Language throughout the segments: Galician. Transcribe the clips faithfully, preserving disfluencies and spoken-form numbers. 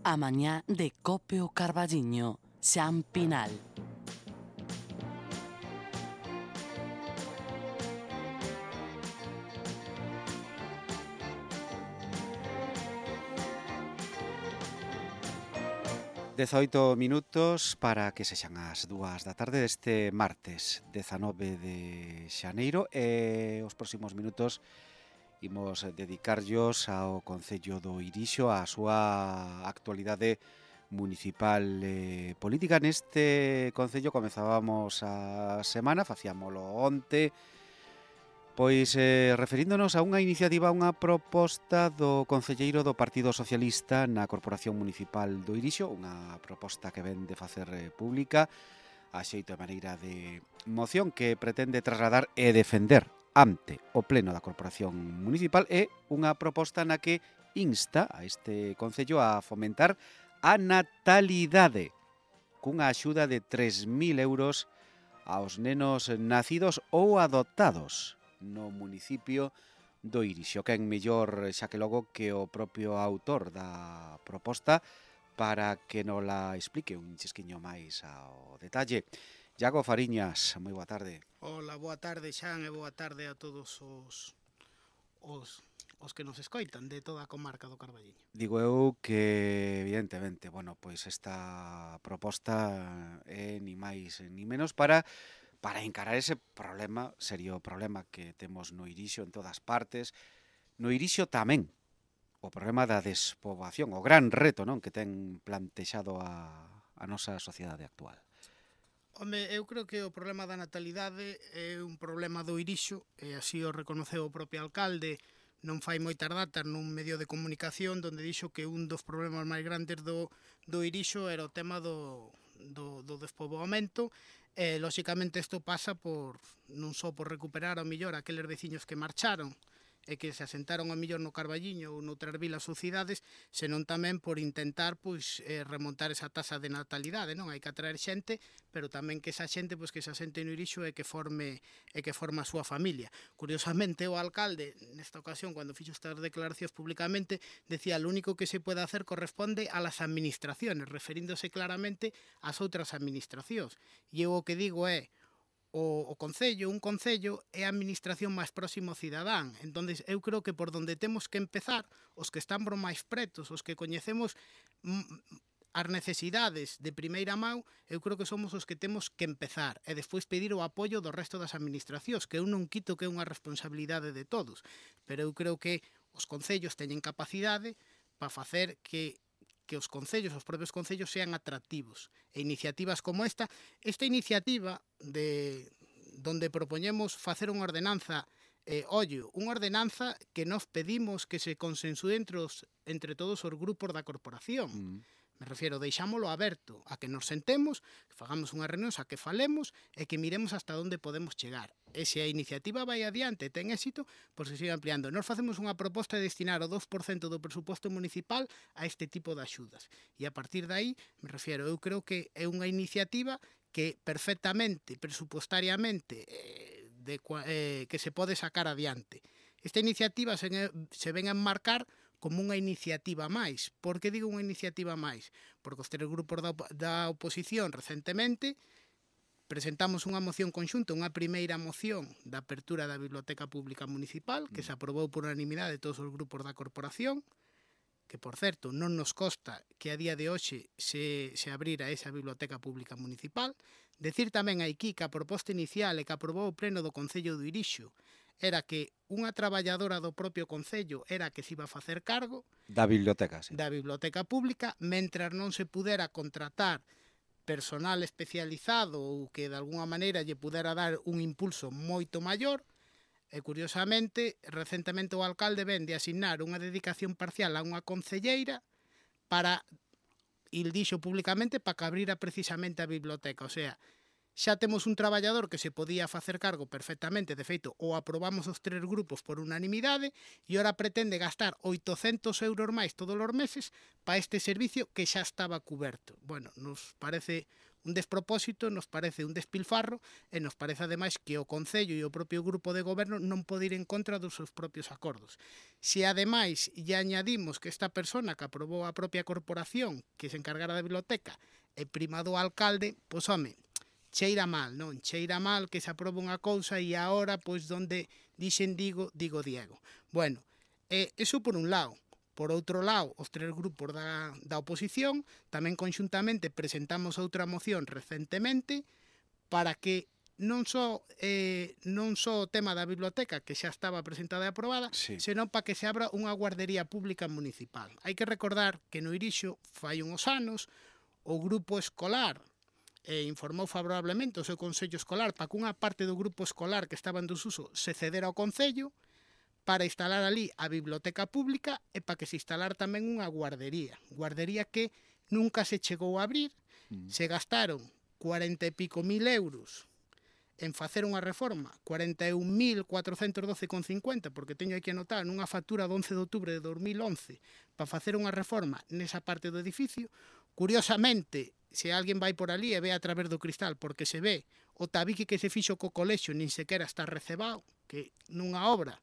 A mañá de Cope o Carballiño, Xan Pinal. dezaoito minutos para que sexan as dúas da tarde deste martes dezanove de xaneiro e os próximos minutos imos dedicarllos ao Concello do Irixo, á súa actualidade municipal e política. Neste Concello comezábamos a semana, facíamolo onte, pois eh, referíndonos a unha iniciativa, a unha proposta do concelleiro do Partido Socialista na Corporación Municipal do Irixo, unha proposta que ven de facer eh, pública a xeito de maneira de moción que pretende trasladar e defender ante o Pleno da Corporación Municipal, e unha proposta na que insta a este concello a fomentar a natalidade cunha axuda de tres mil euros aos nenos nacidos ou adoptados no municipio do Irixo. Quen mellor, xa que logo, que o propio autor da proposta para que nos la explique un chisquiño máis ao detalle. Iago Fariñas, moi boa tarde. Hola, boa tarde, Xan, e boa tarde a todos os, os, os que nos escoitan de toda a comarca do Carballiño. Digo eu que, evidentemente, bueno, pois esta proposta é ni máis ni menos para para encarar ese problema, serio problema que temos no Irixo en todas partes. No Irixo tamén o problema da despoboación, o gran reto, non, que ten plantexado a, a nosa sociedade actual. Home, eu creo que o problema da natalidade é un problema do Irixo, e así o reconoceu o propio alcalde non fai moitas datas nun medio de comunicación donde dixo que un dos problemas máis grandes do, do Irixo era o tema do, do, do despoboamento. E, lóxicamente, isto pasa por non só por recuperar ao millor aqueles veciños que marcharon e que se asentaron ao millor no Carballiño ou noutras vilas ou cidades, senón tamén por intentar pois eh, remontar esa tasa de natalidade, non? Hai que atraer xente, pero tamén que esa xente pois que se asente no Irixo e que forme e que forma a súa familia. Curiosamente, o alcalde nesta ocasión, cando fixo estas declaracións públicamente, decía: "Lo único que se puede hacer corresponde a las administraciones", referíndose claramente ás outras administracións. E eu o que digo é: O, o concello, un concello é a administración máis próximo ao cidadán. Entonces, eu creo que por donde temos que empezar, os que están máis pretos, os que coñecemos mm, as necesidades de primeira mão, eu creo que somos os que temos que empezar e despois pedir o apoio do resto das administracións, que eu non quito que é unha responsabilidade de todos, pero eu creo que os concellos teñen capacidade para facer que que os concellos, os propios concellos sean atractivos. E iniciativas como esta, esta iniciativa de donde propoñemos facer unha ordenanza, eh, ollo, unha ordenanza que nos pedimos que se consensúe entre, os, entre todos os grupos da corporación. Mm. Me refiero, deixámolo aberto a que nos sentemos, que fagamos unha reunión, a que falemos e que miremos hasta onde podemos chegar. E se a iniciativa vai adiante e ten éxito, pois se siga ampliando. Nos facemos unha proposta de destinar o dos por cento do presuposto municipal a este tipo de axudas. E a partir de aí, me refiero, eu creo que é unha iniciativa que perfectamente, presupostariamente, eh, de, eh, que se pode sacar adiante. Esta iniciativa se, se ven a enmarcar como unha iniciativa máis. Por que digo unha iniciativa máis? Porque os tres grupos da, da oposición recentemente presentamos unha moción conxunta, unha primeira moción da apertura da Biblioteca Pública Municipal, que se aprobou por unanimidade de todos os grupos da corporación, que, por certo, non nos consta que a día de hoxe se, se abrira esa Biblioteca Pública Municipal. Decir tamén aquí que a proposta inicial e que aprobou o Pleno do Concello do Irixo era que unha traballadora do propio concello era que se iba a facer cargo da biblioteca, sí. da biblioteca pública, mentras non se pudera contratar personal especializado ou que de alguna maneira lle pudera dar un impulso moito maior. E, curiosamente, recentemente o alcalde ven de asignar unha dedicación parcial a unha concelleira para, il dixo públicamente, para que abrira precisamente a biblioteca. O sea, xa temos un traballador que se podía facer cargo perfectamente, de feito, o aprobamos os tres grupos por unanimidade, e ora pretende gastar oitocentos euros máis todos os meses para este servicio que xa estaba cuberto. Bueno, nos parece un despropósito, nos parece un despilfarro e nos parece ademais que o Concello e o propio grupo de goberno non pode ir en contra dos seus propios acordos. Se ademais lle añadimos que esta persona que aprobou a propia corporación que se encargara da biblioteca é prima do alcalde, pois home, cheira mal, non? Cheira mal que se aproba unha cousa e agora, pois, donde dixen digo, digo Diego. Bueno, eh, eso por un lado. Por outro lado, os tres grupos da, da oposición tamén conxuntamente presentamos outra moción recentemente para que non só eh, non só o tema da biblioteca, que xa estaba presentada e aprobada, Sí. senón para que se abra unha guardería pública municipal. Hai que recordar que no Irixo fai uns anos o grupo escolar eh, informou favorablemente o seu Consello Escolar para que unha parte do grupo escolar que estaba en desuso se cedera ao Concello para instalar ali a biblioteca pública e para que se instalar tamén unha guardería. Guardería que nunca se chegou a abrir, Mm. se gastaron cuarenta e pico mil euros en facer unha reforma, cuarenta e un mil cuatrocentos doce con cincuenta, porque teño aquí anotado nunha factura do once de outubro de dos mil once para facer unha reforma nesa parte do edificio. Curiosamente, se alguén vai por ali e ve a través do cristal, porque se ve o tabique que se fixo co colexio nin sequera está recebado, que nunha obra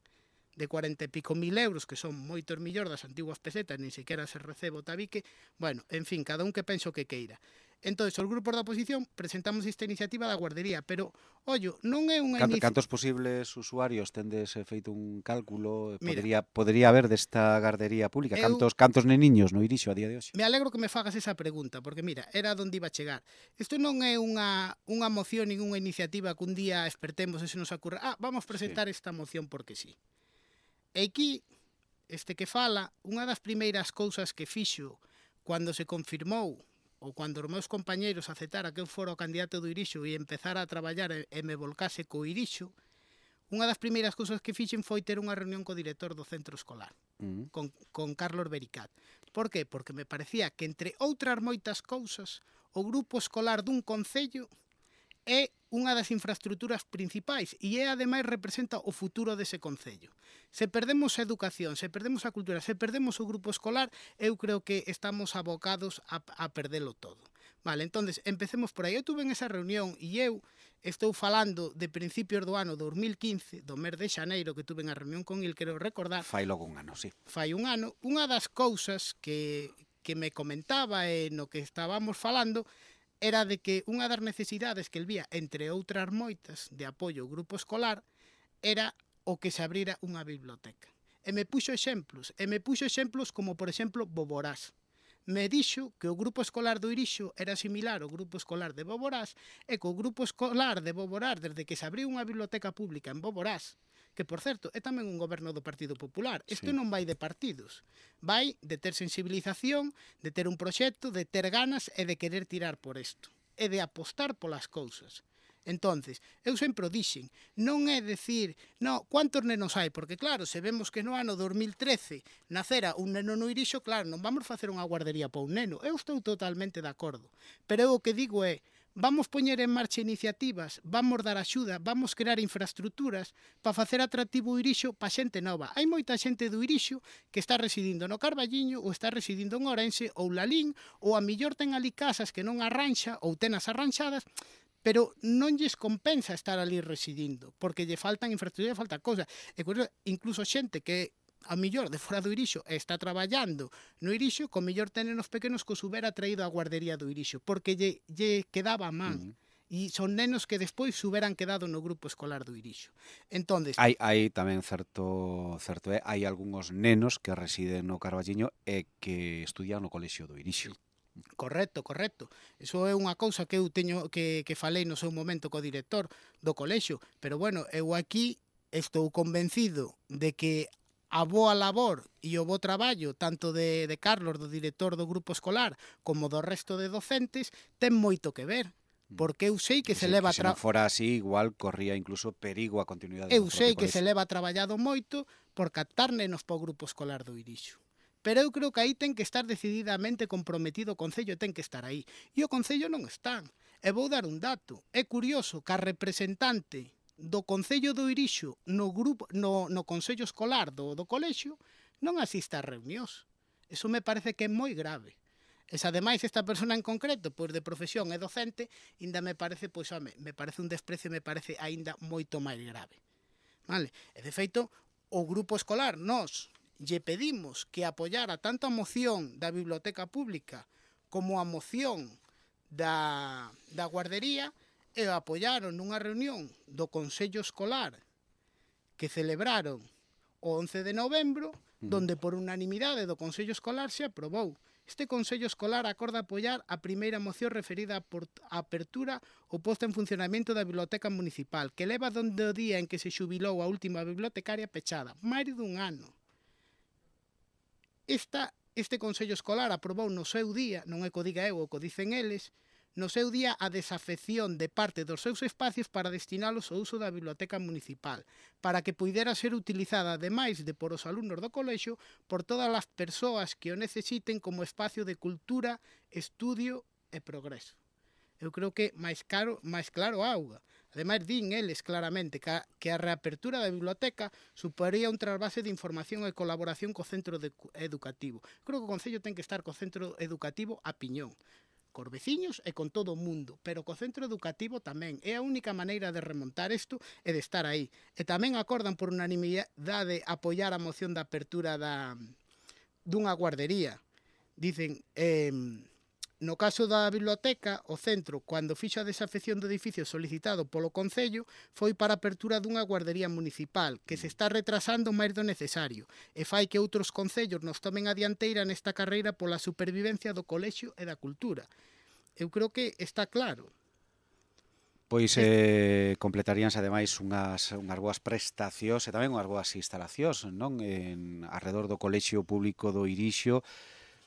de cuarenta e pico mil euros, que son moitos millóns das antiguas pesetas, nin sequera se recebe o tabique. Bueno, en fin, cada un que penso que queira. Entón, os grupos da oposición presentamos esta iniciativa da guardería, pero, ollo, non é unha Canto, iniciativa... cantos posibles usuarios tendes eh, feito un cálculo? Mira. Podería, podería haber desta gardería pública? Eu- Cantos, cantos neniños no Irixo a día de hoxe? Me alegro que me fagas esa pregunta, porque mira, era onde iba a chegar. Isto non é unha, unha moción nin unha iniciativa que un día espertemos e se nos ocurra, ah, vamos presentar esta moción porque sí. E aquí, este que fala, unha das primeiras cousas que fixo cando se confirmou ou cando os meus compañeiros aceptara que eu fora o candidato do Irixo e empezara a traballar e, e me volcase co Irixo, unha das primeiras cousas que fixen foi ter unha reunión co director do centro escolar, Mm. con, con Carlos Bericat. Por que? Porque me parecía que, entre outras moitas cousas, o grupo escolar dun concello é unha das infraestructuras principais e é, ademais, representa o futuro dese concello. Se perdemos a educación, se perdemos a cultura, se perdemos o grupo escolar, eu creo que estamos abocados a, a perdelo todo. Vale, entonces, empecemos por aí. Eu tuve en esa reunión e eu estou falando de principios do ano dos mil quince, do mes de xaneiro, que tuve a reunión con el, quero recordar, Fai logo un ano, sí. fai un ano, unha das cousas que, que me comentaba e no que estábamos falando era de que unha das necesidades que el vía, entre outras moitas, de apoio ao grupo escolar, era o que se abrira unha biblioteca. E me puxo exemplos, e me puxo exemplos como, por exemplo, Boborás. Me dixo que o grupo escolar do Irixo era similar ao grupo escolar de Boborás e que o grupo escolar de Boborás, desde que se abriu unha biblioteca pública en Boborás, que, por certo, é tamén un goberno do Partido Popular. Isto Sí. non vai de partidos. Vai de ter sensibilización, de ter un proxecto, de ter ganas e de querer tirar por isto. E de apostar polas cousas. Entonces, eu sempre o dixen, non é decir, no, quantos nenos hai? Porque, claro, se vemos que no ano dos mil trece nacera un neno no Irixo, claro, non vamos facer unha guardería para un neno. Eu estou totalmente de acordo. Pero eu o que digo é, vamos poñer en marcha iniciativas, vamos dar axuda, vamos crear infraestructuras para facer atractivo o Irixo para xente nova. Hai moita xente do Irixo que está residindo no Carballiño ou está residindo en Ourense ou Lalín, ou a millor ten ali casas que non arranxa ou tenas arranxadas, pero non lles compensa estar ali residindo, porque lle faltan infraestructuras, lle falta cousa. E incluso xente que a millor de fora do Irixo está traballando no Irixo, co millor ten nenos pequenos que os hubera traído á guardería do Irixo, porque lle, lle quedaba a man. Mm. E son nenos que despois se hubieran quedado no grupo escolar do Irixo. Entonces, Hai, hai tamén certo, certo é, hai algúns nenos que residen no Carballiño e que estudian no colexio do Irixo. correcto, correcto. Eso é unha cousa que eu teño que, que falei no seu momento co director do colexio, pero bueno, eu aquí estou convencido de que a boa labor e o bo traballo tanto de, de Carlos, do director do grupo escolar, como do resto de docentes, ten moito que ver. Porque eu sei que se leva... Que se non fora así, igual corría incluso perigo a continuidade Eu do sei propio que se colexio. leva traballado moito por captar nenos para o grupo escolar do Irixo. Pero eu creo que aí ten que estar decididamente comprometido o Concello, ten que estar aí. E o Concello non está. E vou dar un dato. É curioso que a representante do Concello do Irixo no grupo no, no Consello Escolar do, do colexio non asista a reunións. Eso me parece que é moi grave. E se ademais esta persona en concreto, pois de profesión é docente, ainda me parece, pois, home, me parece un desprecio, me parece aínda moito máis grave. Vale? E de feito, o grupo escolar, nós lle pedimos que apoiara tanto a moción da biblioteca pública como a moción da, da guardería, e apoiaron nunha reunión do Consello Escolar que celebraron o once de novembro, donde por unanimidade do Consello Escolar se aprobou. Este Consello Escolar acorda apoiar a primeira moción referida á apertura ou posta en funcionamento da Biblioteca Municipal, que leva donde o día en que se xubilou a última bibliotecaria pechada, máis dun ano. Esta, este Consello Escolar aprobou no seu día, non é co diga eu, o co dicen eles, no seu día a desafección de parte dos seus espacios para destinalos ao uso da biblioteca municipal, para que puidera ser utilizada, ademais de por os alumnos do colexio, por todas as persoas que o necesiten como espacio de cultura, estudio e progreso. Eu creo que máis, caro, máis claro auga. Ademais, din eles claramente que a, que a reapertura da biblioteca suporía un trasvase de información e colaboración co centro de, educativo. Creo que o Concello ten que estar co centro educativo a piñón, cos veciños e con todo o mundo, pero co centro educativo tamén. É a única maneira de remontar isto e de estar aí. E tamén acordan por unanimidade apoiar a moción da apertura da, dunha guardería. Dicen, eh, no caso da biblioteca, o centro, cando fixo a desafección do edificio solicitado polo Concello, foi para a apertura dunha guardería municipal, que se está retrasando máis do necesario, e fai que outros concellos nos tomen a dianteira nesta carreira pola supervivencia do colexio e da cultura. Eu creo que está claro. Pois eh, completaríanse ademais unhas, unhas boas prestacións e tamén unhas boas instalacións, non? En arredor do colexio público do Irixo,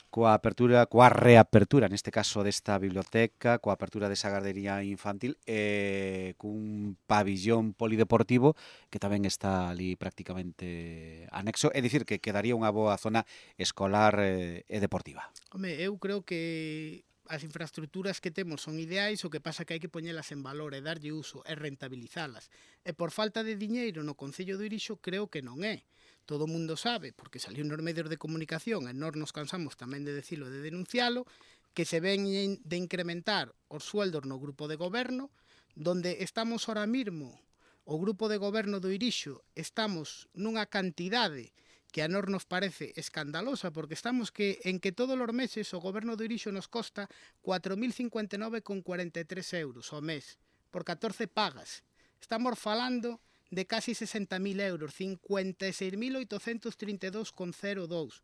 coa apertura, coa reapertura, neste caso desta biblioteca, coa apertura desa gardería infantil e cun pabillón polideportivo que tamén está ali prácticamente anexo, é dicir que quedaría unha boa zona escolar e deportiva. Home, eu creo que as infraestructuras que temos son ideais, o que pasa que hai que poñelas en valor e darlle uso e rentabilizalas. E por falta de diñeiro no Concello do Irixo creo que non é. Todo o mundo sabe, porque saliu nos medios de comunicación e nós nos cansamos tamén de decilo, de denuncialo, que se ven de incrementar os sueldos no grupo de goberno, donde estamos ahora mismo, o grupo de goberno do Irixo, estamos nunha cantidade que a nós nos parece escandalosa, porque estamos que en que todos os meses o goberno do Irixo nos costa cuatro mil cincuenta e nove con cuarenta e tres euros ao mes, por catorce pagas. Estamos falando de casi sesenta mil euros, cincuenta e seis mil oitocentos trinta e dous con cero dous.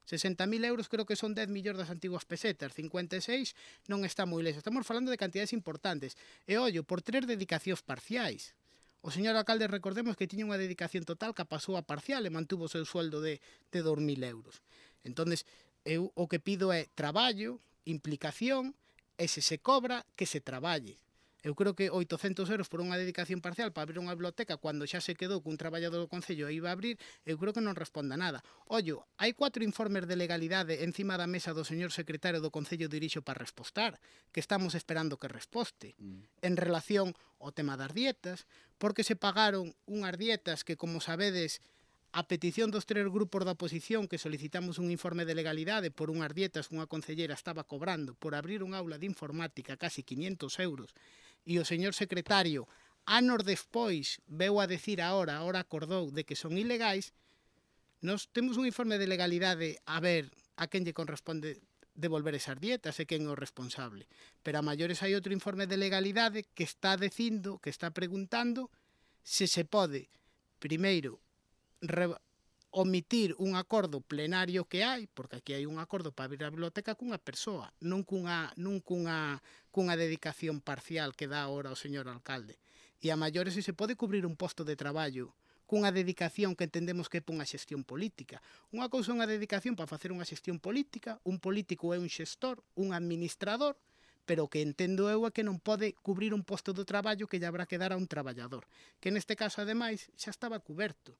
sesenta mil euros creo que son dez millóns das antiguas pesetas, cincuenta e seis non está moi lexo. Estamos falando de cantidades importantes. E ollo, por tres dedicacións parciais. O señor alcalde, recordemos que tiña unha dedicación total que pasou a parcial e mantuvo o seu sueldo de, de dos mil euros. Entonces, eu o que pido é traballo, implicación, e se se cobra, que se traballe. Eu creo que oitocentos euros por unha dedicación parcial para abrir unha biblioteca cando xa se quedou que un traballador do Concello iba a abrir, eu creo que non responda nada. Ollo, hai cuatro informes de legalidade encima da mesa do señor secretario do Concello de Irixo para respostar, que estamos esperando que resposte, mm. en relación ao tema das dietas, porque se pagaron unhas dietas que, como sabedes, a petición dos tres grupos da oposición que solicitamos un informe de legalidade por unhas dietas que unha concellera estaba cobrando por abrir un aula de informática casi quinientos euros, e o señor secretario, anos despois, veu a decir ahora, ahora acordou de que son ilegais, nos temos un informe de legalidade a ver a quen lle corresponde devolver esas dietas e quen é o responsable. Pero a maiores hai outro informe de legalidade que está dicindo, que está preguntando se se pode, primeiro, re omitir un acordo plenario que hai, porque aquí hai un acordo para abrir a biblioteca cunha persoa, non cunha, non cunha, cunha dedicación parcial que dá ahora o señor alcalde. E a maiores se se pode cubrir un posto de traballo cunha dedicación que entendemos que é unha xestión política. Unha cousa é unha dedicación para facer unha xestión política, un político é un xestor, un administrador, pero o que entendo eu é que non pode cubrir un posto de traballo que lle habrá que dar a un traballador, que neste caso, ademais, xa estaba cuberto.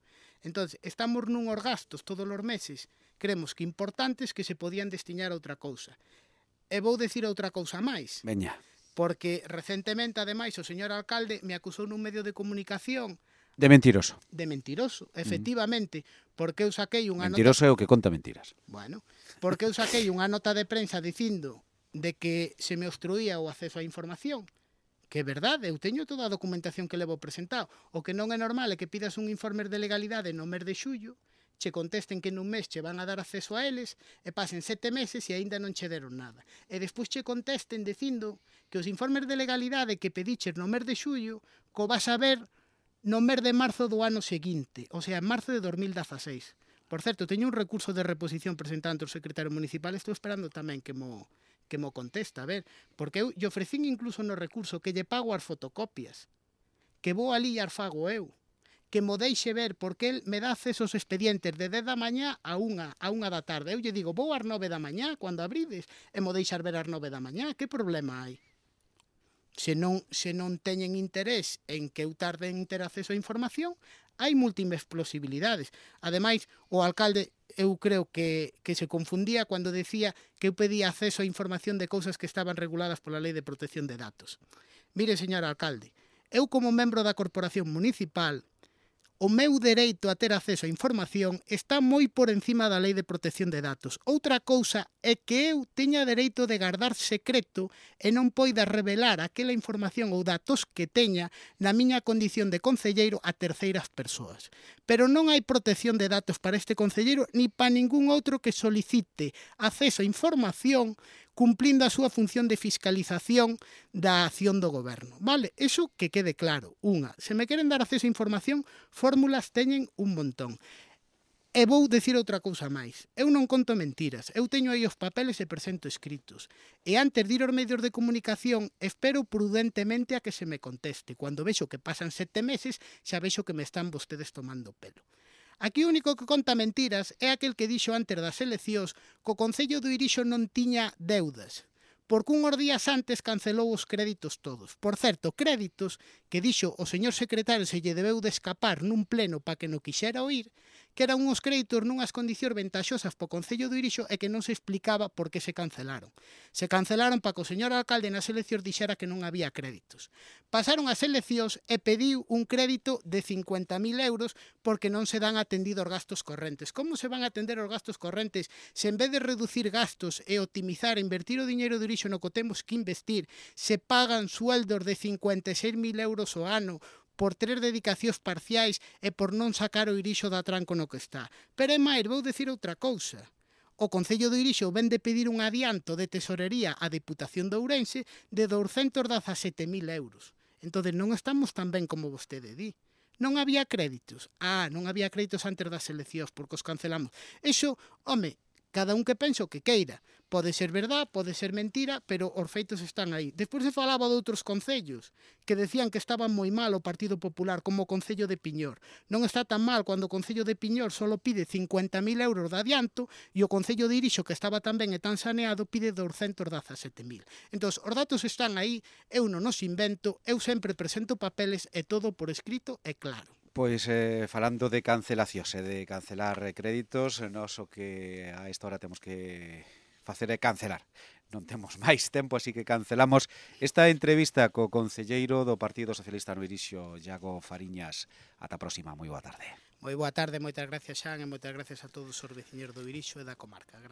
Entón, estamos nunos gastos todos os meses, creemos que importantes, que se podían destinar a outra cousa. E vou decir outra cousa máis. Veña. Porque recentemente, ademais, o señor alcalde me acusou nun medio de comunicación De mentiroso. De mentiroso, efectivamente, porque eu saquei unha nota... Mentiroso é o que conta mentiras. Bueno, porque eu saquei unha nota de prensa dicindo de que se me obstruía o acceso á información, que é verdade, eu teño toda a documentación que levo presentado. O que non é normal é que pidas un informe de legalidade no mes de xullo, che contesten que nun mes che van a dar acceso a eles e pasen sete meses e aínda non che deron nada. E despois che contesten dicindo que os informes de legalidade que pediches no mes de xullo co vas a ver no mes de marzo do ano seguinte, o sea, en marzo de dos mil dieciséis. Por certo, teño un recurso de reposición presentado ante o secretario municipal, estou esperando tamén que mo, que mo contesta, a ver, porque eu lle ofrecín incluso no recurso que lle pago as fotocopias, que vou ali e as fago eu, que mo deixe ver, porque el me dá acceso aos expedientes de dez da mañá a unha, a unha da tarde. Eu lle digo, vou ás nove da mañá, cando abrides, e mo deixar ver ás nove da mañá, que problema hai? Se non, se non teñen interés en que eu tarde en ter acceso á información, hai múltiples posibilidades. Ademais, o alcalde, eu creo que, que se confundía cando decía que eu pedía acceso á información de cousas que estaban reguladas pola Lei de Protección de Datos. Mire, señor alcalde, eu como membro da Corporación Municipal, o meu dereito a ter acceso á información está moi por encima da Lei de Protección de Datos. Outra cousa é que eu teña dereito de guardar secreto e non poida revelar aquela información ou datos que teña na miña condición de concelleiro a terceiras persoas. Pero non hai protección de datos para este concelleiro ni para ningún outro que solicite acceso á información cumplindo a súa función de fiscalización da acción do goberno. Vale? Eso que quede claro. Unha, se me queren dar acceso a información, fórmulas teñen un montón. E vou dicir outra cousa máis. Eu non conto mentiras. Eu teño aí os papeles e presento escritos. E antes de ir aos medios de comunicación, espero prudentemente a que se me conteste. Cando vexo que pasan sete meses, xa vexo que me están vostedes tomando pelo. Aquí o único que conta mentiras é aquel que dixo antes das eleccións que o Concello do Irixo non tiña deudas, porque unhos días antes cancelou os créditos todos. Por certo, créditos que dixo o señor secretario se lle debeu de escapar nun pleno para que non quixera oír, que eran unhos créditos nunhas condicións ventaxosas para o Concello do Irixo e que non se explicaba por que se cancelaron. Se cancelaron para que o señor alcalde nas eleccións dixera que non había créditos. Pasaron as eleccións e pediu un crédito de cincuenta mil euros porque non se dan atendido os gastos correntes. Como se van a atender os gastos correntes se en vez de reducir gastos e optimizar e invertir o diñeiro do Irixo no que temos que investir, se pagan sueldos de cincuenta e seis mil euros ao ano por tres dedicacións parciais e por non sacar o Irixo da tranco no que está? Pero é máis, vou dicir outra cousa. O Concello do Irixo ven de pedir un adianto de tesorería á Deputación de Ourense de douscentos dezasete mil euros. Entón, non estamos tan ben como vostede di. Non había créditos. Ah, non había créditos antes das eleccións porque os cancelamos. Eso, home, cada un que pensa o que queira. Pode ser verdad, pode ser mentira, pero os feitos están aí. Despois se falaba de outros concellos que decían que estaba moi mal o Partido Popular, como o Concello de Piñor. Non está tan mal cando o Concello de Piñor só pide cincuenta mil euros de adianto e o Concello de Irixo, que estaba tan ben e tan saneado, pide douscentos dezasete mil. Entón, os datos están aí, eu non os invento, eu sempre presento papeles e todo por escrito e claro. Pois eh, falando de cancelacións e de cancelar créditos, nós o que a esta hora temos que facer é cancelar. Non temos máis tempo, así que cancelamos esta entrevista co concelleiro do Partido Socialista no Irixo, Iago Fariñas. Ata a próxima, moi boa tarde. Moi boa tarde, moitas gracias, Xan, e moitas gracias a todos os veciños do Irixo e da comarca. Gracias.